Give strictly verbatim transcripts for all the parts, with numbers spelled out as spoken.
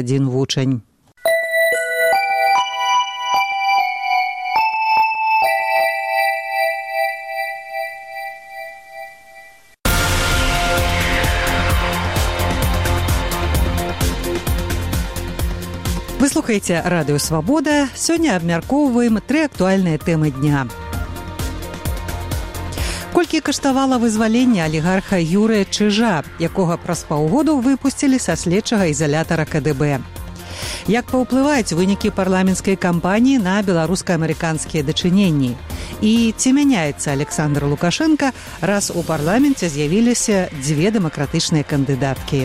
адзін вучань. Вы слухаеце радыё «Свабода». Сёння абмяркоўваем тры актуальныя тэмы дня. Колькі каштавала вызваленне алігарха Юрыя Чыжа, якога праз паўгоду выпусцілі са следчага ізалятара ка дэ бэ. Як паўплываюць вынікі парламенцкай кампаніі на беларуска-амерыканскія дачыненні? І ці мяняецца Александр Лукашенко, раз у парламенце з'явіліся дзве дэмакратычныя кандыдаткі?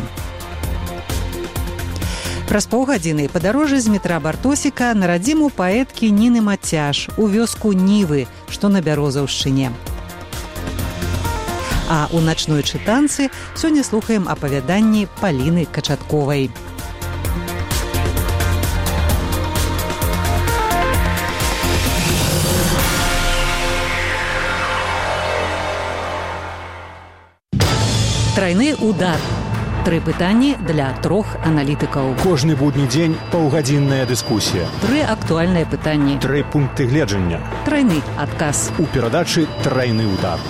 Праз паўгадзіны падарожжа з метра Бартосіка на радзіму паэткі Ніны Мацяж у вёску Нівы, што на Бярозаўшчыне. А ў начной чытанцы сёння слухаем апавяданні Паліны Качатковай. Трайны удар. Тры пытанні для трох аналітыкаў. Кожны будні дзень паўгадзінная дыскусія. Тры актуальныя пытанні. Тры пункты гледжання. Трайны адказ. У перадачы «Трайны удар».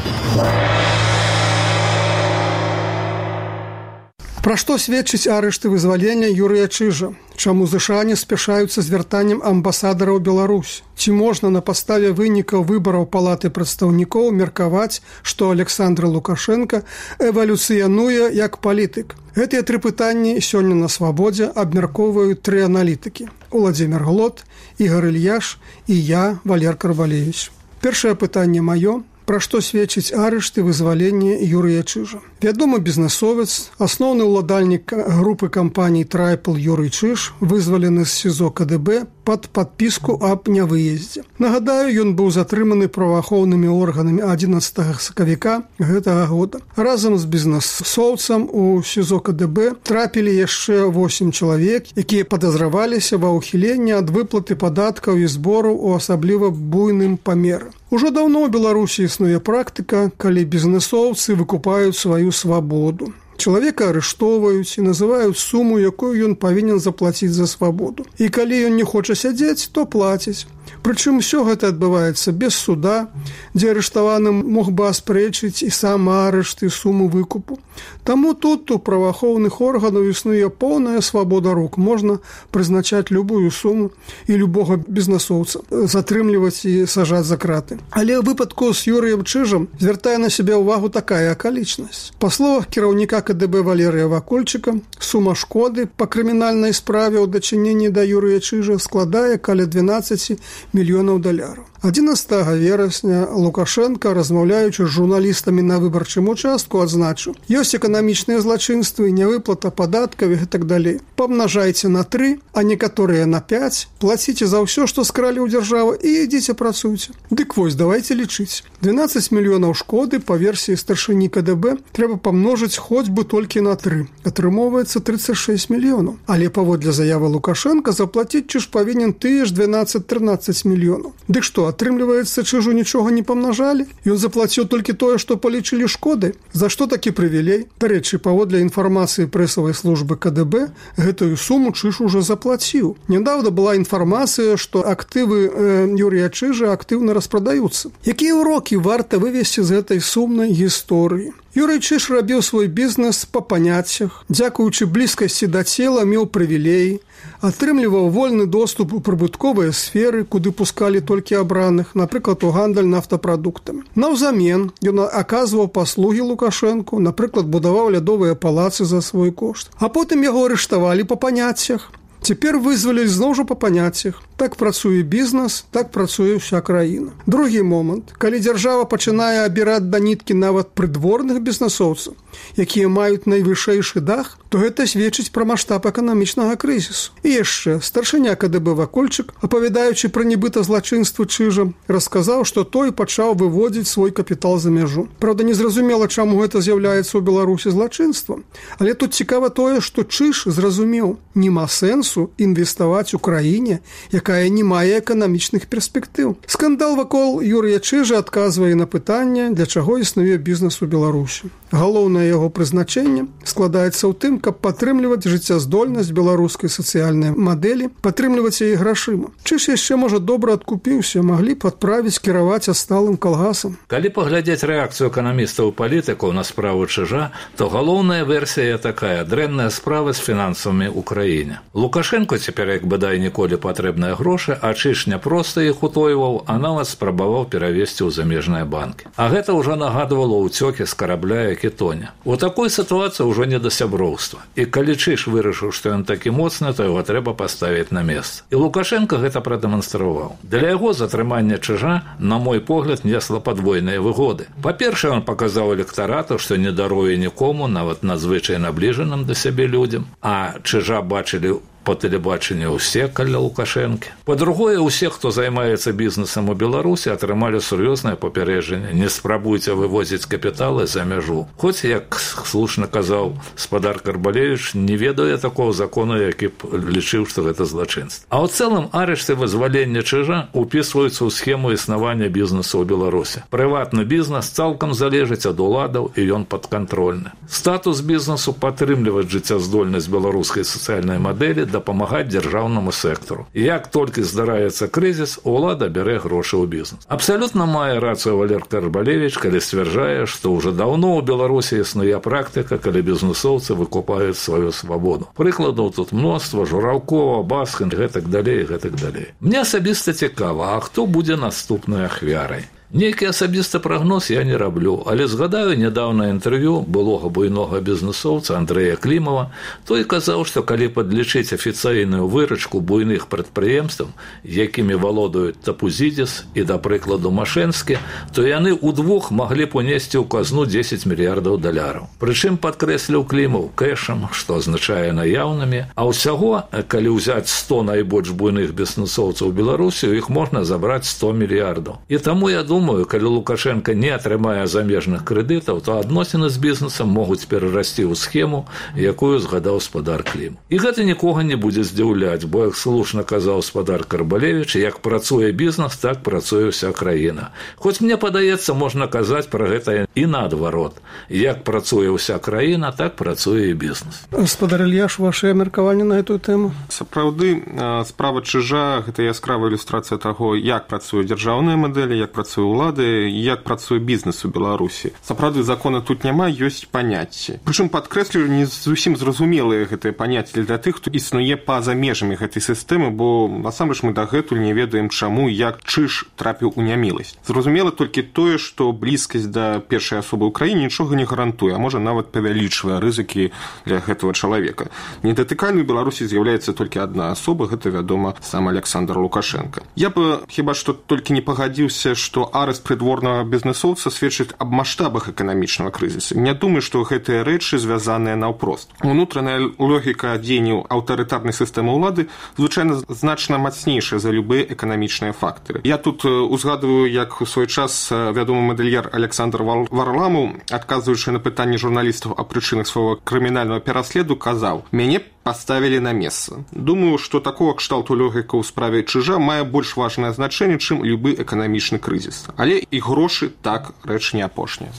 Пра што сведчыць арышт і вызвалення Юрыя Чыжа? Чаму ЗША не спяшаюцца з вяртаннем амбасадара ў Беларусь? Ці можна на падставе вынікаў выбараў Палаты прадстаўнікоў меркаваць, што Александр Лукашенко эвалюцыянуе як палітык? Гэтыя тры пытанні сёння на «Свабодзе» абмяркоўваюць тры аналітыкі: Уладзімір Глот, Ігор Ільяш і я, Валер Карвалевіч. Першае пытанне маё. Пра што сведчыць арышт і вызваленне Юрыя Чыжа? Вядомы бізнэсовец, асноўны ўладальнік групы кампаній «Трайпл» Юрый Чыж вызвалены з СІЗО ка дэ бэ пад падпіску аб нявыездзе. Нагадаю, ён быў затрыманы праваахоўнымі органамі адзінаццатага сакавіка гэтага года. Разам з бізнэсоўцам у СІЗО ка дэ бэ трапілі яшчэ восем чалавек, якія падазраваліся ва ўхіленні ад выплаты падаткаў і збораў у асабліва буйным памеры. Ужо даўно ў Беларусі існуе практыка, калі бізнэсоўцы выкупаюць сваю свабоду. Чалавека арыштоўваюць і называюць суму, якую ён павінен заплаціць за свабоду. І калі ён не хоча сядзець, то плаціць. Прычым усё гэта адбываецца без суда, дзе арыштаваны мог бы аспрэчыць і сам арышт і суму выкупу. Таму тут у праваахоўных органаў існуе поўная свабода рук. Можна прызначаць любую суму і любога бізнэсоўца, затрымліваць і сажаць за краты. Але ў выпадку з Юрыем Чыжам звяртае на сябе ўвагу такая акалічнасць. Па словах кіраўніка ка дэ бэ Валерыя Вакольчыка, сума шкоды па крымінальнай справе ў дачыненні да Юрыя Чыжа складае каля дванаццаць мільёнаў даляраў. адзінаццатага верасня Лукашенко, размаўляючы з журналістамі на выбарчым участку, адзначыў: ёсць эканамічныя злачынствы, нявыплата падаткаў і так далей. Памнажайце на тры, а некаторыя на пяць, плаціце за ўсё, што скралі ў дзяржаву, і ідзіце працуйце. Дык вось, давайце лічыць. дванаццаць мільёнаў шкоды па версіі старшыні ка дэ бэ трэба памножыць хоць бы толькі на тры. Атрымоўваецца трыццаць шэсць мільёнаў. Але паводле заявы Лукашенко заплаціць Чыж павінен тыя ж дванаццаць-трынаццаць мільёнаў. Дык што, атрымліваецца, Чыжу нічога не памнажалі? Ён заплаціў толькі тое, што палічылі шкоды? За што такі прывілей? Дарэчы, паводле інфармацыі прэсавай службы ка дэ бэ, гэтую суму Чыж ужо заплаціў. Нядаўна была інфармацыя, што актывы э, Юрыя Чыжа актыўна распрадаюцца. Якія ўрокі варта вывесці з гэтай сумнай гісторыі? Юрый Чыж рабіў свой бізнес па паняццях, дзякуючы блізкасці да цела меў прывілеі, атрымліваў вольны доступ у прыбытковыя сферы, куды пускалі толькі абраных, напрыклад, у гандаль нафтапрадуктамі. Наўзамен ён аказваў паслугі Лукашэнку, напрыклад, будаваў лядовыя палацы за свой кошт. А потым яго арыштавалі па паняццях. Цяпер вызвалілі зноў жа па паняццях. Так працуе бізнес, так працуе ўся краіна. Другі момант. Калі дзяржава пачынае абіраць да ніткі нават прыдворных бізнесоўцаў, якія маюць найвышэйшы дах, то гэта сведчыць пра маштаб эканамічнага крызісу. І яшчэ старшыня ка дэ бэ Вакольчык, апавядаючы пра нібыта злачынства Чыжа, расказаў, што той пачаў выводзіць свой капітал за мяжу. Праўда, незразумела, чаму гэта з'яўляецца ў Беларусі злачынствам. Але тут цікава тое, што Чыж зразумеў: нема сэнсу бізнесу інвеставаць у краіне, якая не мае эканамічных перспектыў. Скандал вакол Юрыя Чыжа адказвае на пытанне, для чаго існуе бізнес у Беларусі. Галоўнае яго прызначэнне складаецца ў тым, каб падтрымліваць жыццяздольнасць беларускай сацыяльнай мадэлі, падтрымліваць яе грашыма. Чыж яшчэ, можа, добра адкупіўся, маглі б адправіць кіраваць асталым калгасам. Калі паглядзець рэакцыю эканамістаў і палітыкаў на справу Чыжа, то галоўная версія такая: дрэнная справа з фінансамі ў краіне. Лукашенко цяпер як бадай ніколі патрэбныя грошы, а Чыж не проста іх утойваў, а нават спрабаваў перавесці ў замежныя банкі. А гэта ўжо нагадвала ўцёкі з карабля, які тоне. У такой сітуацыі ўжо не да сяброўства. І калі Чыж вырашыў, што ён такі моцны, то яго трэба паставіць на месца. І Лукашенко гэта прадэманстраваў. Для яго затрымання Чыжа, на мой погляд, несла падвойныя выгоды. Па-першае, он паказаў электарату, што не даруе нікому, нават надзвычай набліжаным да сябе людзям, а Чыжа бачылі по тэлебачанню ўсе каля Лукашэнкі. Па-другое, усе, хто займаецца бізнесам у Беларусі, атрымалі сур'ёзнае папярэджанне: не спрабуйце вывозіць капіталы за мяжу. Хоць, як слушна казаў спадар Карбалевіч, не ведае такого закону, які б лічыў, што гэта злачынства. А ў цэлым арышт і вызваленне Чыжа упісваюцца ў схему існавання бізнесу ў Беларусі. Прыватны бізнес цалкам залежыць ад уладаў, і ён падкантрольны. Статус бізнесу падтрымліваць жыццяздольнасць беларускай сацыяльнай мадэлі, дапамагаць дзяржаўнаму сектару. І як толькі здараецца крызіс, улада бярэ грошы ў бізнес. Абсалютна мае рацыю Валер Карбалевіч, калі сцвярджае, што ўжо даўно ў Беларусі існуе практыка, калі бізнесоўцы выкупаюць сваю свабоду. Прыкладаў тут мноства: Жураўкова, Баскін, гэтак далей, гэтак далей. Мне асабіста цікава, а хто будзе наступнай ахвярай? Нейкі асабісты прагноз я не раблю, але згадаю нядаўна інтэрв'ю былога буйнога бізнесоўца Андрэя Клімава. Той казаў, што калі падлічыць афіцыйную выручку буйных прадпрыемстваў, якімі валодаюць Тапузідзіс і, да прыкладу, Машэнскі, то яны ўдвух маглі б унесці ў казну дзесяць мільярдаў даляраў. Прычым, падкрэсліў Клімаў, кэшам, што азначае наяўнымі, а ўсяго, калі ўзяць сто найбольш буйных бізнесоўцаў Беларусі, іх можна забраць сто мільярдаў. І таму я думаю, Думаю, калі Лукашенко не атрымае замежных крэдытаў, то адносіны з бізнесам могуць перарасці ў схему, якую згадаў спадар Клім. І гэта нікога не будзе здзіўляць, бо, як слушна казаў спадар Карбалевіч, як працуе бізнес, так працуе ўся краіна. Хоць мне падаецца, можна казаць пра гэта і наадварот. Як працуе ўся краіна, так працуе і бізнес. Спадар Ільяш, ваше меркаванне на эту тэму? Сапраўды, справа Чыжа – гэта яскравая ілюстрацыя таго, як працуе дзяржаўная мадэль, як працуе улады, як працуе бізнес у Беларусі. Сапраўды, закона тут няма, ёсць паняцці. Прычым, падкрэслю, не зусім зразумелыя гэтыя паняцці для тых, хто існуе па-за межамі гэтай сістэмы, бо насамрэч мы дагэтуль не ведаем, чаму, як Чыж трапіў у няміласць. Зразумела толькі тое, што блізкасць да першай асобы ў краіне нічога не гарантуе, а можа нават павялічвае рызыкі для гэтага чалавека. Недатыкальнай у Беларусі з'яўляецца толькі адна асоба, гэта, вядома, сам Александр Лукашенко. Я бы хіба што толькі не пагадзіўся, што арэст прыдворнага бізнесоўца сведчыць аб маштабах эканамічнага крызісу. Не думаю, што гэтыя рэчы звязаныя наўпрост. Унутраная логіка дзеянняў аўтарытарнай сістэмы ўлады звычайна значна мацнейшая за любыя эканамічныя фактары. Я тут узгадываю, як у свой час вядомы мадэльер Александр Варламаў, адказваючы на пытанні журналістаў о прычынах свайго крымінальнага пераследу, казаў: «Мяне поставили на месца». Думаю, што такого кшталту логіка ў справе Чыжа мае больш важнае значэнне, чым любы эканамічны крызіс. Але і грошы так рэч не апошняя.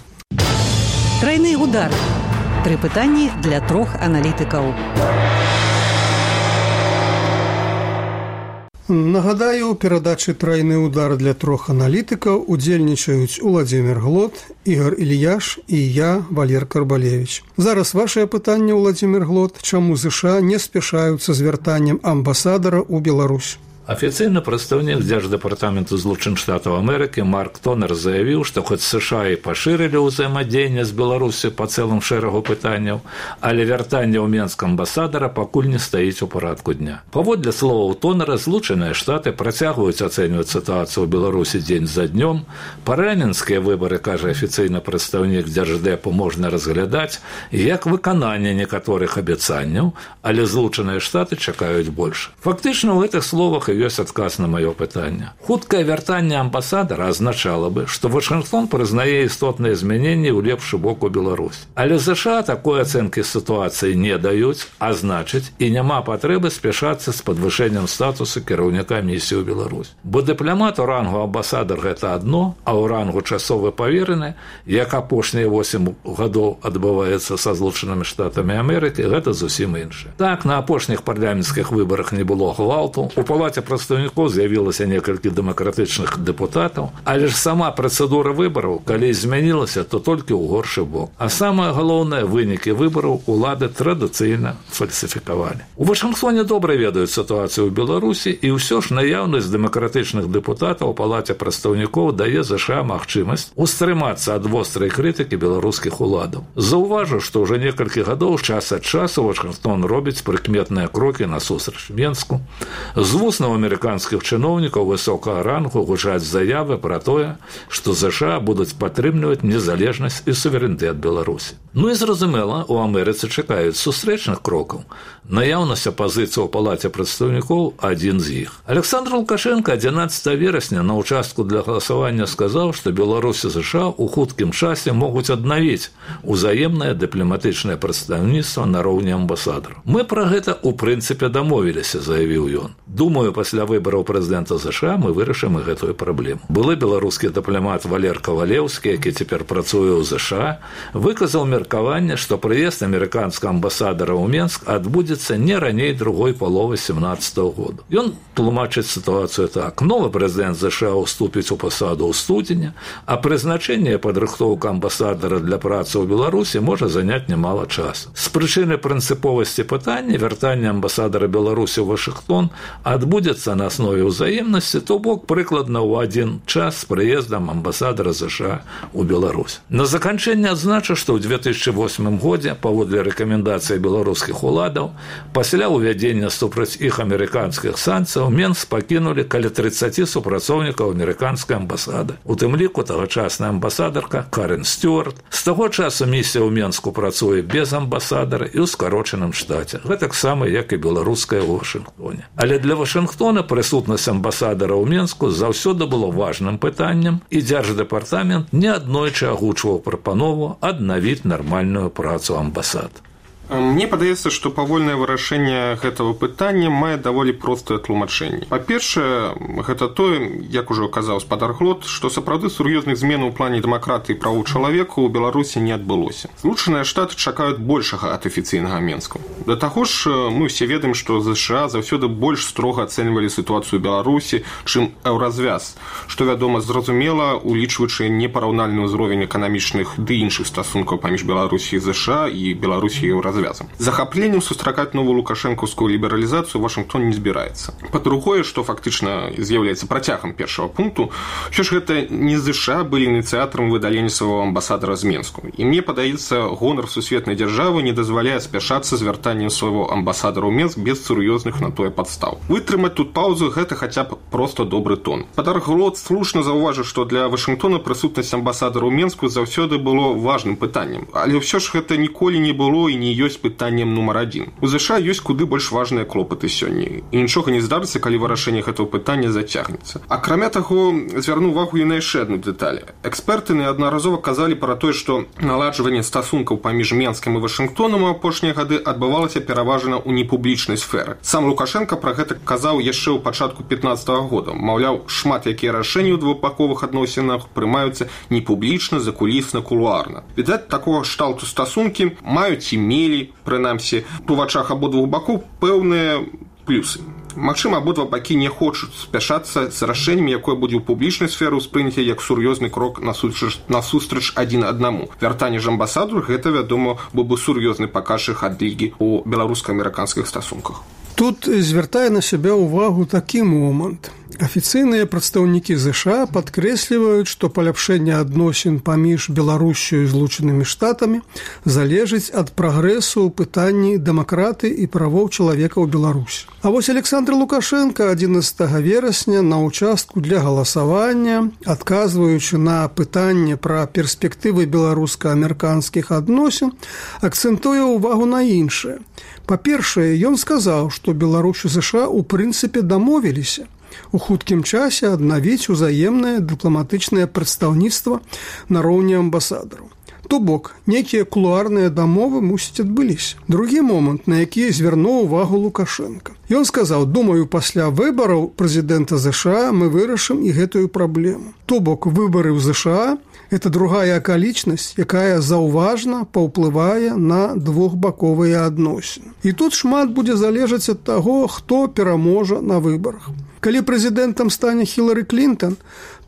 Трайны удар. Тры пытанні для трох аналітыкаў. Нагадаю, у перадачы «Трайны удар» для трох аналітыкаў удзельнічаюць Уладзімір Глот, Ігор Ільяш і я, Валер Карбалевіч. Зараз вашае пытанне, Уладзімір Глот: чаму ЗША не спяшаюцца з вяртаннем амбасадара ў Беларусь? Афіцыйны прадстаўнік Дзярждэпартаменту злучаных штатаў Амерыкі Марк Тонер заявіў, што хоць США і пашырылі ўзаемадзеянне з Беларусю па цэлым шэрагу пытанняў, але вяртанне ў Менск амбасадара пакуль не стаіць у парадку дня. Паводле словаў Тонера, Злучаныя Штаты працягваюць ацэньваць сітуацыю ў Беларусі дзень за днём. Парламенцкія выбары, кажа афіцыйны прадстаўнік Дзярждэпу, можна разглядаць як выкананне некаторых абяцанняў, але Злучаныя Штаты чакаюць больш. Фактычна, у гэтых словах ёсць адказ на маё пытанне. Хуткае вяртанне амбасадара азначала бы, што Вашынгтон прызнае істотныя змяненні ў лепшы бок у Беларусь. Але ЗША такой ацэнкі сітуацыі не даюць, а значыць, і няма патрэбы спяшацца з падвышэннем статусу кіраўніка місіі ў Беларусь. Бо дыпламат у рангу амбасадар гэта адно, а ў рангу часовы павераны, як апошнія восем гадоў адбываецца са Злучанымі Штатамі Амерыкі, гэта зусім іншае. Так, на апошніх парламенцкіх выбарах не было гвалту, у палаце прадстаўнікоў з'явілася некалькі дэмакратычных дэпутатаў, але ж сама працэдура выбараў, калі змянілася, то толькі ў горшы бок. А самае галоўнае, вынікі выбараў улады традыцыйна фальсіфікавалі. У Вашынгтоне добра ведаюць сітуацыю ў Беларусі, і ўсё ж наяўнасць дэмакратычных дэпутатаў у палаце прадстаўнікоў дае ЗША магчымасць устрымацца ад вострай крытыкі беларускіх уладаў. Заўважу, што ўжо некалькі гадоў час ад часу Вашынгтон робіць прыкметныя крокі насустрач Менску. З вуснаў амерыканскіх чыноўнікаў высокага рангу гучаць заявы пра тое, што ЗША будуць падтрымліваць незалежнасць і суверэнітэт Беларусі. Ну і зразумела, у Амерыцы чакаюць сустрэчных крокаў. Наяўнасць апазіцыі ў палаце прадстаўнікоў адзін з іх. Александр Лукашенко адзінаццатага верасня на ўчастку для галасавання сказаў, што Беларусь і ЗША ў хуткім часе могуць аднавіць узаемнае дыпламатычнае прадстаўніцтва на роўні амбасадараў. Мы пра гэта ў прынцыпе дамовіліся, заявіў ён. Думаю, пасля выбараў прэзідэнта ЗША мы вырашым і гэтую праблему. Былы беларускі дыпламат Валер Кавалеўскі, які цяпер працуе ў ЗША, выказаў меркаванне, што прыезд амерыканскага амбасадара ў Менск адбудзецца не раней другой паловы семнаццатага года. Ён тлумачыць сітуацыю так. Новы прэзідэнт ЗША уступіць у пасаду ў студзені, а прызначэнне і падрыхтоўка амбасадара для працы ў Беларусі можа заняць немало часу. З прычыны прынцыповасці пытання вяртання амбасадара Беларусі ў Вашынгтон адбудзецца на аснове ўзаемнасці, то бок прыкладна ў адзін час з прыездам амбасадара ЗША ў Беларусь. На заканчэнне адзначу, што ў две тысячы восьмым годзе, паводле рэкамендацый беларускіх уладаў, пасля ўвядзення супраць іх амерыканскіх санкцыяў Менск пакінулі каля трыццаць супрацоўнікаў амерыканскай амбасады. У тым ліку тагачасная амбасадарка Карен Стюарт. З таго часу місія ў Менску працуе без амбасадара і ў скарочаным штаце. Гэтаксама, як і беларуская ў Вашынгтоне. Але для Вашынгтона прысутнасць амбасадара ў Менску заўсёды было важным пытаннем, і дзярждэпартамент неаднойчы агучваў прапанову аднавіць нармальную працу амбасад. Мне падаецца, што павольнае вырашэнне гэтага пытання мае даволі простае тлумачэнне. Па-першае, гэта тое, як ужо казаў спадар Глот, што сапраўды сур'ёзных зменаў у плане дэмакратыі і правоў чалавека ў Беларусі не адбылося. Злучаныя Штаты чакаюць большага ад афіцыйнага Менска. Да таго ж, мы ўсе ведаем, што ЗША заўсёды больш строга ацэньвалі сітуацыю ў Беларусі, чым еўразвяз, што, вядома, зразумела, улічваючы непараўнальны ўзровень эканамічных ды іншых стасункаў паміж Беларусі і ЗША і Беларусі і еўразвяз. Захапленнем сустракаць новую лукашэнкаўскую лібералізацыю Вашынгтон не збіраецца. Па-другое, што фактычна з'яўляецца працягам першага пункту, що ж гэта не ЗША былі ініцыятарам выдалення свайго амбасадара з Менску. І мне падаецца, гонар сусветнай дзяржавы не дазваляе спяшацца з вяртаннем свайго амбасадара ў Менск без сур'ёзных на тое падстаў. Вытрымаць тут паузу гэта хаця б проста добры тон. Спадар Глот слушна заўважыў, што для Вашынгтона прысутнасць амбасадара ў Менску заўсёды было важным пытаннем. Але ўсё ж гэта ніколі не было і не ёсць пытаннем нумар адзін. У ЗША ёсць куды больш важныя клопаты сёння. І нічога не здарыцца, калі вырашэнне гэтага пытання зацягнецца. Акрамя таго, звярну увагу і на яшчэ адну дэталь. Эксперты неаднаразова казалі пра тое, што наладжванне стасункаў паміж Менскам і Вашынгтонам у апошнія гады адбывалася пераважна ў непублічнай сферы. Сам Лукашенко пра гэта казаў яшчэ ў пачатку пятнаццатага года. Маўляў, шмат якія рашэнні ў двухбаковых адносінах прымаюцца непублічна, закулісна, кулуарна. Відаць, такога кшталту стасункі маюць і мелі, прынамсі, у вачах абодвух бакоў пэўныя плюсы. Магчыма, абодва бакі не хочуць спяшацца з рашэннем, якое будзе ў публічнай сферы ўспрыняце як сур'ёзны крок насустрач адзін аднаму. Вяртанне ж амбасаду гэта, вядома, быў бы сур'ёзны паказчык адлігі ў беларуска-амерыканскіх стасунках. Тут звяртае на сябе ўвагу такі момант. Афіцыйныя прадстаўнікі ЗША падкрэсліваюць, што паляпшэнне адносін паміж Беларусю і Злучанымі Штатамі залежыць ад прагрэсу ў пытанні дэмакраты і правоў чалавека ў Беларусі. А вось Александр Лукашенко адзінаццатага верасня на ўчастку для галасавання, адказваючы на пытанне пра перспектывы беларуска-амерыканскіх адносін, акцэнтуе ўвагу на іншае. Па-першае, ён сказаў, што Беларусь і ЗША ў прынцыпе дамовіліся у хуткім часе аднавіць узаемнае дыпламатычнае прадстаўніцтва на роўні амбасадараў. То бок, нейкія кулуарныя дамовы, мусіць, адбыліся. Другі момант, на які звярнуў увагу Лукашенко. Ён сказаў, думаю, пасля выбараў прэзідэнта ЗША мы вырашым і гэтую праблему. То бок, выбары ў ЗША – это другая акалічнасць, якая заўважна паўплывае на двухбаковыя адносіны. І тут шмат будзе залежаць ад таго, хто пераможа на выбарах. Калі прэзідэнтам стане Хілары Клінтон,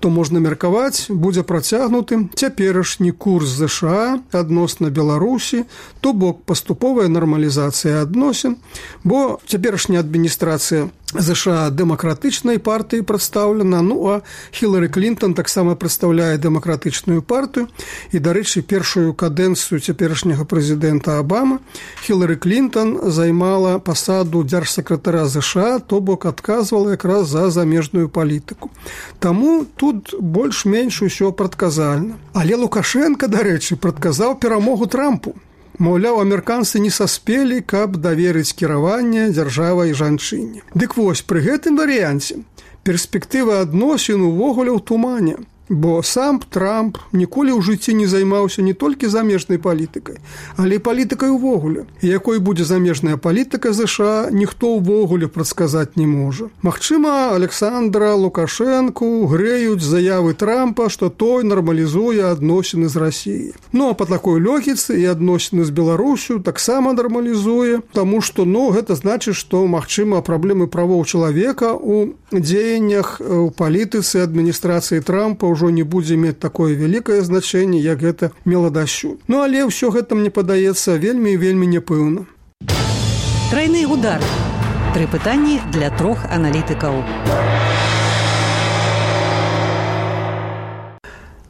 то можна меркаваць, будзе працягнуты цяперашні курс ЗША адносна Беларусі, то бок паступовая нармалізацыя адносін, бо цяперашняя адміністрацыя ЗША дэмакратычнай партыі прадстаўлена, ну а Хілары Клінтон таксама прадстаўляе дэмакратычную партыю, і, дарэчы, першую кадэнцыю цяперашняга прэзідэнта Абама Хілары Клінтон займала пасаду дзяржсакратара ЗША, то бок адказвала якраз за замежную палітыку. Таму тут больш-менш усё прадказальна. Але Лукашенко, дарэчы, прадказаў перамогу Трампу. Маўляў, амерыканцы не саспелі, каб даверыць кіраванне дзяржавай жанчыне. Дык вось, пры гэтым варыянце перспектыва адносін увогуле ў тумане. Бо сам Трамп ніколі ў жыцці не займаўся не толькі замежнай палітыкай, але і палітыкай увогуле. І якой будзе замежная палітыка ЗША, ніхто ўвогуле прадказаць не можа. Магчыма, Александра Лукашэнку грэюць заявы Трампа, што той нармалізуе адносіны з Расіяй. Ну, а па такой логіцы і адносіны з Беларусю таксама нармалізуе, таму што, ну, гэта значыць, што, магчыма, праблемы правоў чалавека ў дзеяннях у палітыцы адміністрацыі Трампа ўжо не будзе мець такое вялікае значэнне, як гэта мела дасюль. Ну, але ўсё гэта, мне падаецца, вельмі і вельмі няпэўна. Трайны удар. Тры пытанні для трох аналітыкаў.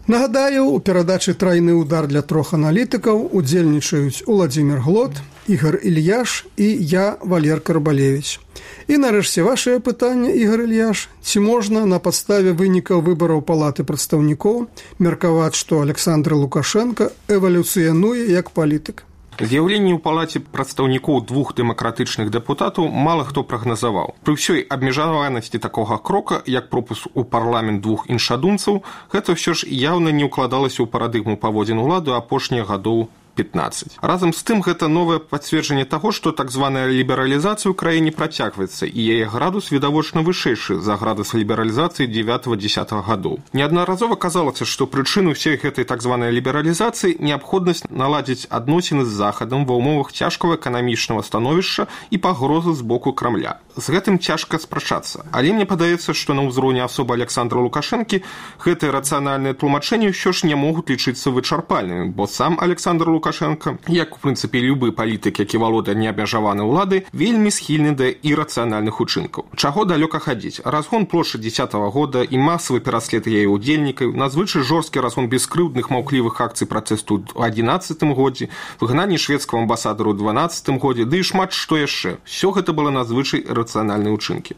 Нагадаю, у перадачы «Трайны удар» для трох аналітыкаў удзельнічаюць Уладзімір Глот, Ігор Ільяш і я, Валер Карбалевіч. І нарэшце вашае пытанне, Ігор Ільяш, ці можна на падставе вынікаў выбараў Палаты прадстаўнікоў меркаваць, што Александр Лукашенко эвалюцыянуе як палітык? З'яўленне ў палаце прадстаўнікоў двух дэмакратычных дэпутатаў мала хто прагназаваў. Пры ўсёй абмежаванасці такога крока, як пропуск у парламент двух іншадумцаў, гэта ўсё ж яўна не ўкладалася ў парадыгму паводзін улады апошніх гадоў пятнадцать. Разам з тым, гэта новае пацверджанне таго, што так званая лібералізацыя ў краіне працягваецца, і яе градус відавочна вышэйшы за градус лібералізацыі дзевятага-дзесятага гадоў. Неаднаразова казалася, што прычыну ўсей гэтай так званай лібералізацыі неабходнасць наладзіць адносіны з Захадам ва ўмовах цяжкага эканамічнага становішча і пагрозы з боку Крамля. З гэтым цяжка спрачацца. Але мне падаецца, што на ўзроўні асобы Александра Лукашэнкі гэтыя рацыянальныя тлумачэнні ўсё ж не могуць лічыцца вычарпальнымі, бо сам Александр Лукашенко, як, у прынцыпе, любы палітык, які валодае неабмежаванай улады, вельмі схільны да ірацыянальных учынкаў. Чаго далёка хадзіць? Разгон плошчы дзесятага года і масавы пераслед яе ўдзельнікаў, надзвычай жорсткі разгон бескрыўдных маўклівых акцый пратэсту ў адзінаццатым годзе, выгнанне шведскага амбасадару ў дванаццатым годзе, ды і шмат што яшчэ. Усё гэта было надзвычай рацыянальныя ўчынкі.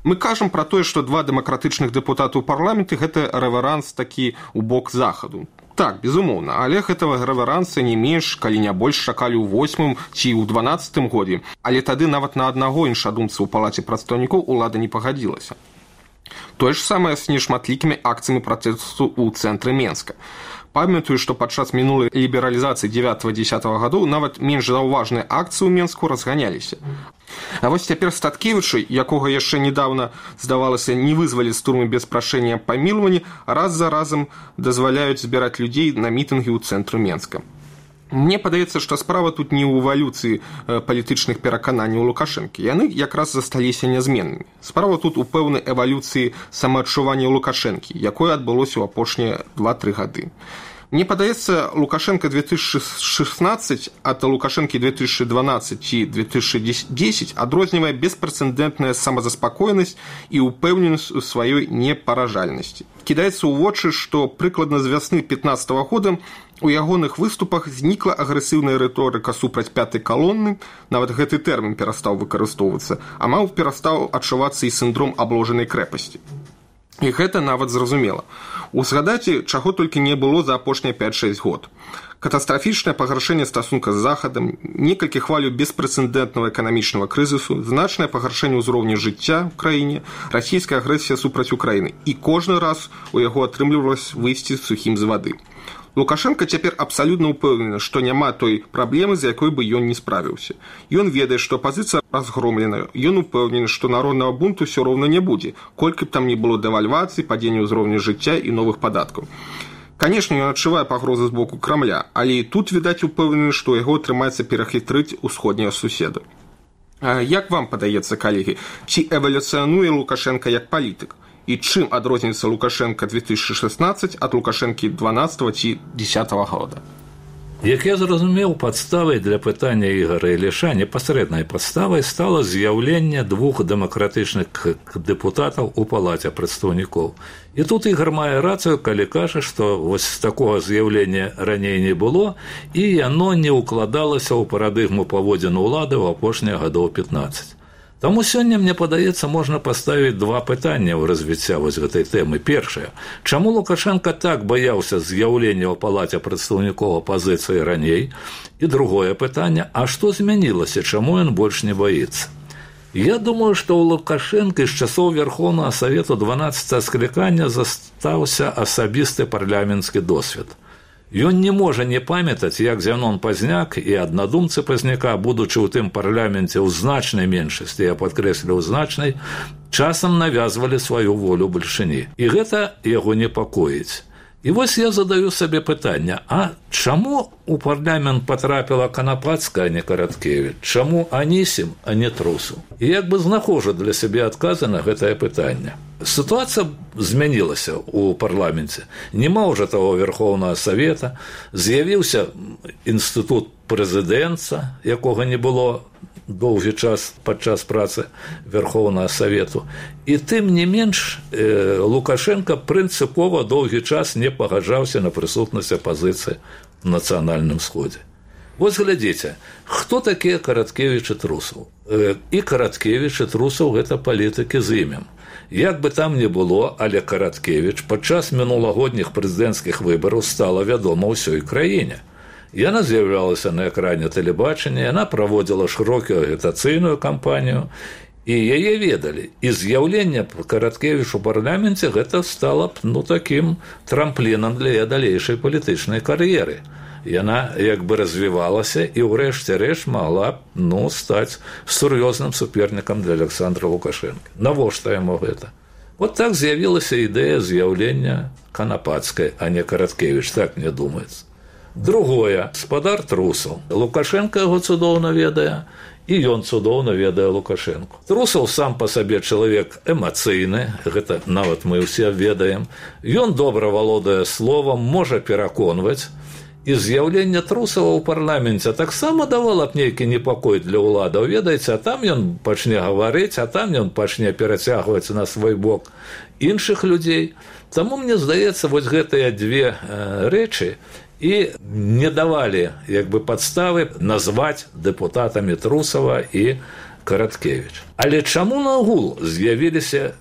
Мы кажам пра тое, што два дэмакратычных дэпутаты ў парламенты – гэта рэверанс такі ў бок захаду. Так, безумоўна, але гэтага рэверанса не менш, калі не больш чакалі ў восьмым ці ў дванаццатым годзе, але тады нават на аднаго іншадумца ў палаце прадстаўнікоў улада не пагадзілася. Тое ж самае з нешматлікімі акцыямі пратэсту ў цэнтры Менска. Памятаю, што падчас мінулай лібералізацыі дзевятага-дзесятага гадоў нават менш заўважныя акцыі ў Менску разганяліся. А вось цяпер Статкевічы, якога яшчэ недавно, здавалася, не вызвалі з турмы без прашэння памілавання, раз за разам дазваляюць збіраць людзей на мітынгі ў цэнтры Менска. Мне падаецца, што справа тут не ў эвалюцыі палітычных перакананняў Лукашэнкі. Яны якраз засталіся нязменнымі. Справа тут у пэўнай эвалюцыі самаадчування Лукашэнкі, якое адбылося ў апошнія два-тры гады. Мне падаецца, Лукашенко две тысячи шестнадцать ад Лукашенкі две тысячи двенадцать і две тысячи десять адрознівае беспрэцэдэнтная самазаспакоенасць і ўпэўненасць у сваёй непаражальнасці. Кідаецца ў вочы, што прыкладна з вясны пятнадцатого года у ягоных выступах знікла агрэсіўная рыторыка супраць пятай калоны, нават гэты тэрмін перастаў выкарыстоўвацца, а маў перастаў адчувацца і сіндром абложанай крэпасці. І гэта нават зразумела. Узгадаце, чаго толькі не было за апошнія пять-шесть год. Катастрафічнае пагаршэнне стасунка з Захадам, некалькі хвалю беспрэцэдэнтнага эканамічнага крызісу, значнае пагаршэнне ўзроўня жыцця ў краіне, расійская агрэсія супраць Украіны. І кожны раз у яго атрымлівалася выйсці сухім з вады. Лукашенко цяпер абсалютна ўпэўнены, што няма той праблемы, з якой бы ён не справіўся. Ён ведае, што апазіцыя разгромленая, ён упэўнены, што народнага бунту ўсё роўна не будзе, колькі б там не было дэвальвацыі, падзення ўзроўня жыцця і новых падаткаў. Канешне, ён адчувае пагрозы з боку Крамля, але і тут, відаць, упэўнены, што яго атрымаецца перахітрыць усходнія суседы. Як вам падаецца, калегі, ці эвалюцыянуе Лукашенко як палітык? І чым адрозніваецца Лукашенко две тысячи шестнадцать ад Лукашенкі дванадцатого ці десятого года? Як я зразумеў, падставай для пытання Ігора Іліша непасрэднай падставай стала з'яўленне двух дэмакратычных дэпутатаў у палаце прадстаўнікоў. І тут Ігор мае рацыю, калі кажа, што вось такога з'яўлення раней не было, і яно не ўкладалася ў парадыгму паводзін улады ў апошнія гадоў пятнаццаць. Таму сёння, мне падаецца, можна паставіць два пытання ў развіцця вось гэтай тэмы. Першае, чаму Лукашенко так баяўся з'яўлення ў палаце прадстаўнікоў апазіцыі раней? І другое пытанне, а што змянілася, чаму ён больш не баіцца? Я думаю, што ў Лукашенка з часоў Верховнага Савету дванаццатага склікання застаўся асабісты парламенцкі досвед. Ён не можа не памятаць, як Зянон Пазняк і аднадумцы Пазняка, будучы ў тым парламенце ў значнай меншасці, я падкрэсліў значнай, часам навязвалі сваю волю бальшыні. І гэта яго непакоіць. І вось я задаю сабе пытанне, а чаму у парламент потрапіла Канапацкая, а не Караткевіч? Чаму Анісім, а не Трусаў? І як бы знаходжу для сябе адказы на гэтае пытанне. Сітуацыя змянілася ў парламенце. Нема ўжо таго Верховнага Савета, з'явіўся інстытут прэзідэнта, якога не было доўгі час падчас працы Верховнага Савету. І тым не менш э, Лукашенко прынцыпова доўгі час не пагаджаўся на прысутнасць апазіцыі в нацыянальным сходзе. Вось глядзіце, хто такія Караткевіч і Трусаў? Э, і Караткевіч і Трусаў гэта палітыкі з імем. Як бы там не было, але Караткевіч падчас мінулагодніх прэзідэнцкіх выбараў стала вядома ўсёй краіне. Яна з'яўлялася на экране тэлебачання, яна праводзіла шырокую агітацыйную кампанію, і яе ведалі. І з'яўленне Караткевіч у парламенце гэта стала б, ну, такім трамплінам для яе далейшай палітычнай кар'еры. Яна як бы развівалася і ўрэшце рэшт магла б, ну, стаць сур'ёзным супернікам для Александра Лукашенка. Навошта яму гэта? Вот так з'явілася ідэя з'яўлення Канапацкай, а не Караткевіч, так мне думаецца. Другое, спадар Трусаў. Лукашенко яго цудоўна ведае, і ён цудоўна ведае Лукашенку. Трусаў сам па сабе чалавек эмацыйны, гэта нават мы ўсе ведаем. Ён добра валодае словам, можа пераконваць. І з'яўленне Трусава ў парламенце таксама давала б нейкі непакой для ўладаў. Ведаеце, а там ён пачне гаварыць, а там ён пачне перацягваць на свой бок іншых людзей. Таму, мне здаецца, вось гэтыя две э, рэчы і не давалі як бы падставы назваць дэпутатамі Трусава і Караткевіч. Але чаму нагул з'явіліся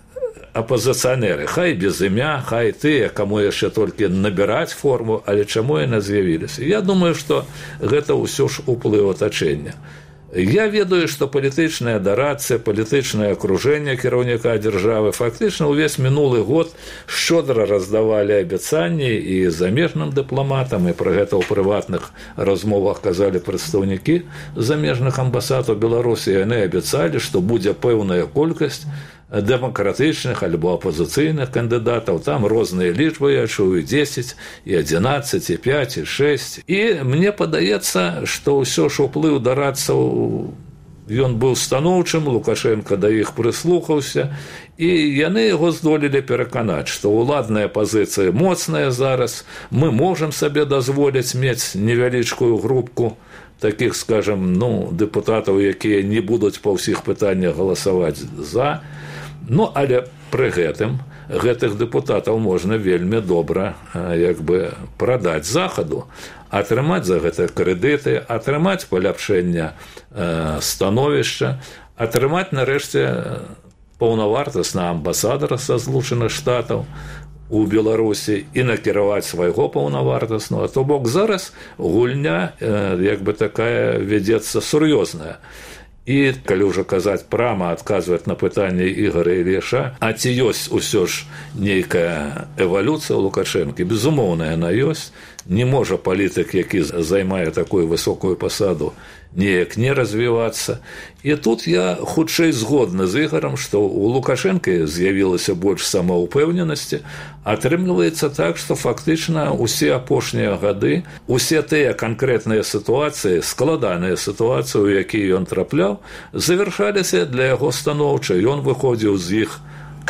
апазіцыянеры? Хай без імя, хай тыя, каму яшчэ толькі набіраць форму, але чаму яны з'явіліся? Я думаю, што гэта ўсё ж уплыў атачэння. Я ведаю, што палітычная дарацыя, палітычнае акружэнне кіраўніка дзяржавы фактычна ўвесь мінулы год шчодра раздавалі абяцанні і замежным дыпламатам, і пра гэта ў прыватных размовах казалі прадстаўнікі замежных амбасад у Беларусі. Яны абяцалі, што будзе пэўная колькасць дэмакратычных альбо апозіцыйных кандыдатаў. Там розныя лічбы, я чую, дзесяць, і адзінаццаць, і пяць, і шэсць. І мне падаецца, што ўсё ж уплыў дарадцаў Ён быў станоўчым, Лукашенко да іх прыслухаўся, і яны яго здолелі пераканаць, што ўладная пазіцыя моцная зараз, мы можам сабе дазволіць мець невялічкую групку такіх, скажем, ну, дэпутатаў, якія не будуць па ўсіх пытаннях галасаваць за. Ну, але пры гэтым гэтых дэпутатаў можна вельмі добра як бы прадаць захаду, атрымаць за гэта крэдыты, атрымаць паляпшэнне становішча, атрымаць нарэшце паўнавартаснага амбасадара са Злучаных Штатаў у Беларусі і накіраваць свайго паўнавартаснага. То бок зараз гульня як бы такая вядзецца сур'ёзная. І калі ўжо казаць прама, адказваць на пытанне Ігора Ільяша, а ці ёсць усё ж нейкая эвалюцыя ў Лукашэнкі? Безумоўна, яна ёсць. Не можа палітык, які займае такую высокую пасаду, неяк не развівацца. І тут я хутчэй згодны з Ігорам, што ў Лукашэнкі з'явілася больш самаўпэўненасці. Атрымліваецца так, што фактычна усе апошнія гады, усе тыя канкрэтныя сітуацыі, складаныя сітуацыі, у якія ён трапляў, завяршаліся для яго станоўча. Ён выходзіў з іх,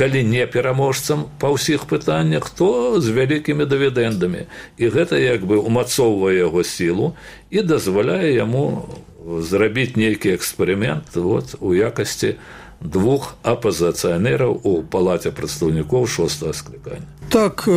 калі не пераможцам па ўсіх пытаннях, то з вялікімі дывідэндамі. І гэта як бы умацоўвае яго сілу і дазваляе яму зрабіць нейкі эксперымент вот, у якасці двух апазіцыянераў у палаце прадстаўнікоў шостага склікання. Так,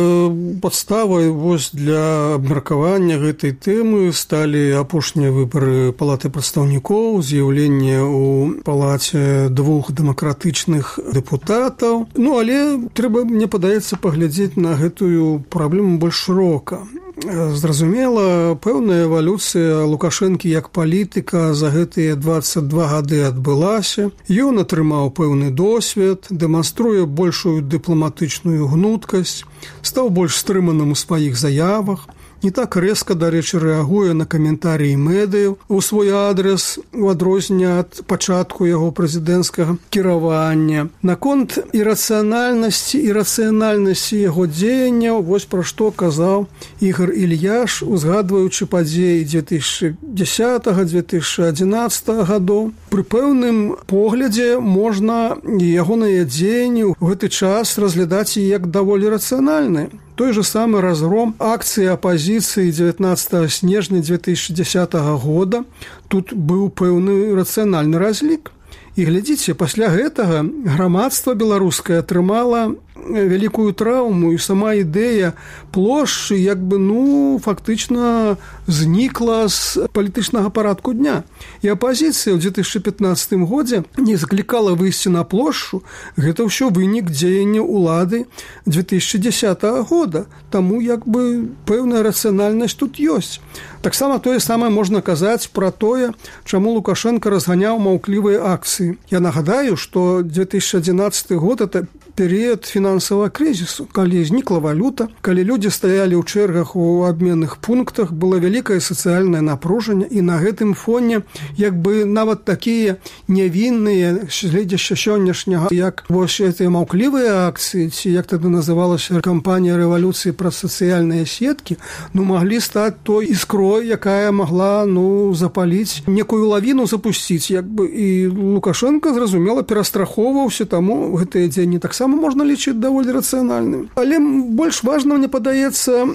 падставай вось для абмеркавання гэтай тэмы сталі апошнія выбары палаты прадстаўнікоў, з'яўленне ў палаце двух дэмакратычных дэпутатаў. Ну, але трэба, мне падаецца, паглядзець на гэтую праблему больш шырока. Зразумела, пэўная эвалюцыя Лукашэнкі як палітыка за гэтыя дваццаць два гады адбылася. Ён атрымаў пэўны досвед, дэманструе большую дыпламатычную гнуткасць, стаў больш стрыманым у сваіх заявах, не так рэзка, дарэчы, рэагуе на каментарыі медыяў у свой адрес, у адрозненне ад пачатку яго прэзідэнцкага кіравання. Наконт ірацыянальнасці і рацыянальнасці яго дзеянняў, вось пра што казаў Ігор Ільяш, узгадваючы падзеі дзве тысячы дзесятага - дзве тысячы адзінаццатага гадоў. Пры пэўным поглядзе можна ягоныя дзеянні ў гэты час разглядаць як даволі рацыянальныя. Той же самы разгром акцыі апазіцыі дзевятнаццатага снежня дзве тысячы дзесятага года, тут быў пэўны рацыянальны разлік. І глядзіце, пасля гэтага грамадства беларускае атрымала вялікую траўму, і сама ідэя плошчы як бы, ну, фактычна знікла з палітычнага парадку дня. І апазіцыя ў дзве тысячы пятнаццатым годзе не заклікала выйсці на плошчу. Гэта ўсё вынік дзеяння ўлады дзве тысячы дзесятага года. Таму як бы пэўная рацыянальнасць тут ёсць. Таксама тое самае можна казаць пра тое, чаму Лукашенко разганяў маўклівыя акцыі. Я нагадаю, што дзве тысячы адзінаццаты год – это перыяд фінансавага крызісу, калі знікла валюта, калі людзі стаялі ў чэргах у абменных пунктах, было вялікае сацыяльнае напружанне, і на гэтым фоне як бы нават такія нявінныя гледзяшча сённяшняга, як вось гэтыя маўклівыя акцыі, ці як тады называлася кампанія рэвалюцыі праз сацыяльныя сеткі, ну маглі стаць той іскрой, якая магла ну запаліць, некую лавіну запусціць, як бы, і Лукашенко, зразумела, перастрахоўваўся, таму гэтыя дзеянні таксама можна лічыць даволі рацыянальным. Але больш важна, мне падаецца,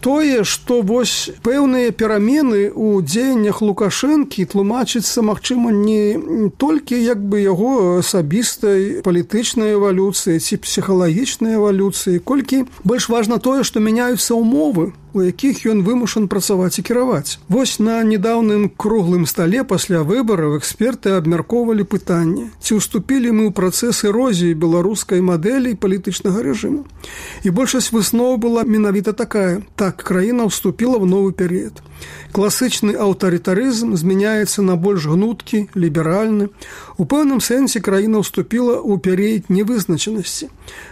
тое, што вось пэўныя перамены ў дзеяннях Лукашэнкі тлумачыцца, магчыма, не толькі як бы яго асабістай палітычнай эвалюцыі ці псіхалагічнай эвалюцыі, колькі больш важна тое, што мяняюцца ўмовы, у якіх ён вымушан працаваць і кіраваць. Вось на недаўным круглым стале пасля выбараў эксперты абмяркоўвалі пытанне, ці ўступілі мы ў працэс эрозіі беларускай мадэлі палітычнага рэжыму. І большасць высноў была менавіта такая: так, краіна ўступіла ў новы перыяд. Класычны аўтарытарызм змяняецца на больш гнуткі, ліберальны. У пэўным сэнсе краіна ўступіла ў перыяд невызначанасці.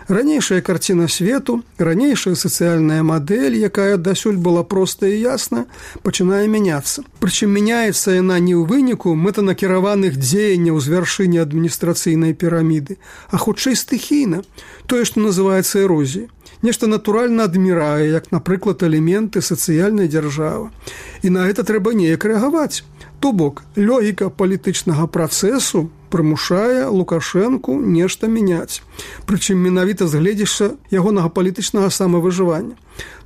Ранейшая карціна свету, ранейшая сацыяльная мадэль, якая дасюль была простая і ясная, пачынае мяняцца. Прычым мяняецца яна не ў выніку мэтанакіраваных дзеянняў з вяршыні адміністрацыйнай піраміды, а хутчэй стыхійна, тое, што называецца эрозіяй. Нешта натуральна адмірае, як, напрыклад, элементы сацыяльнай дзяржавы. І на гэта трэба неяк рэагаваць. То бок, логіка палітычнага працэсу прымушае Лукашэнку нешта мяняць, прычым менавіта з гледзяшча ягонага палітычнага самавыжывання.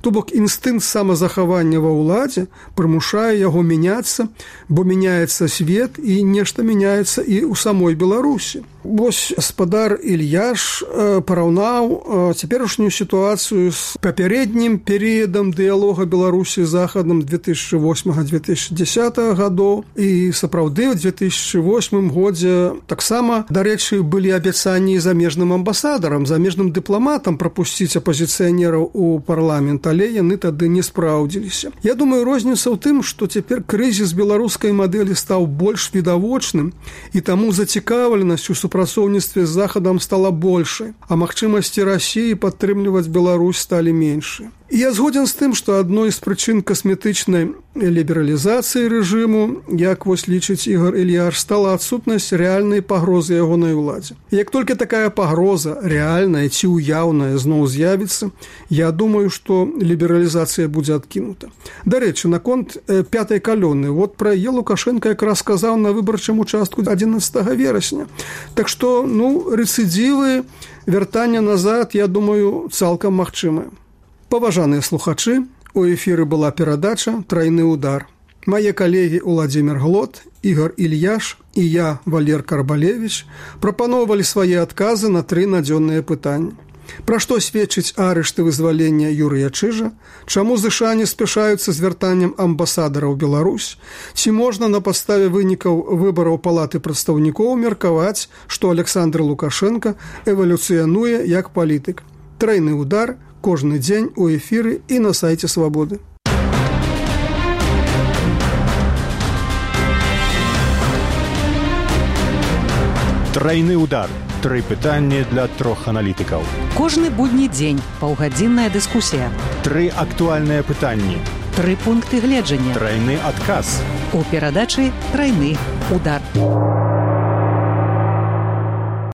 То бок, інстынкт самазахавання ва ўладзе прымушае яго мяняцца, бо мяняецца свет і нешта мяняецца і ў самой Беларусі. Вось гаспадар Ільяш параўнаў цяперашнюю сітуацыю з папярэднім перыядам дыялога Беларусі з Захадам две тысячи восьмага - две тысячи дзесятага гадоў. І сапраўды ў две тысячи восьмым годзе таксама, дарэчы, былі абяцанні замежным амбасадарам, замежным дыпламатам прапусціць апазіцыянераў у парламент, але яны тады не спраўдзіліся. Я думаю, розніца ў тым, што цяпер крызіс беларускай мадэлі стаў больш відавочным, і таму зацікаўленасць у супрацоўніцтве з Захадам стала большай, а магчымасці Расіі падтрымліваць Беларусь сталі меншыя. І я згоден з тым, што адной з прычын касметычнай лібералізацыі рэжыму, як вось лічыць Ігор Ільяш, стала адсутнасць рэальнай пагрозы ягонай уладзе. І як толькі такая пагроза рэальная ці ўяўная зноў з'явіцца, я думаю, што лібералізацыя будзе адкінута. Дарэчы, наконт пятай калоны, вот пра яе Лукашенко якраз сказаў на выбарчым участку адзінаццатага верасня. Так што, ну, рэцыдзівы, вяртання назад, я думаю, цалкам магчымае. Паважаныя слухачы, у эфіры была перадача «Трайны удар». Мае калегі Уладзімір Глот, Ігор Ільяш і я, Валер Карбалевіч, прапаноўвалі свае адказы на тры надзённыя пытанні. Пра што сведчыць арышт і вызвалення Юрыя Чыжа, чаму ЗША не спяшаюцца з вяртаннем амбасадара ў Беларусь, ці можна на падставе вынікаў выбараў палаты прадстаўнікоў меркаваць, што Александр Лукашенко эвалюцыянуе як палітык. Трайны удар кожны дзень у эфіры і на сайце Свабоды. Трайны удар. Тры пытанні для трох аналітыкаў. Кожны будні дзень паўгадзінная дыскусія. Тры актуальныя пытанні. Тры пункты гледжання. Трайны адказ. У перадачы «Трайны удар».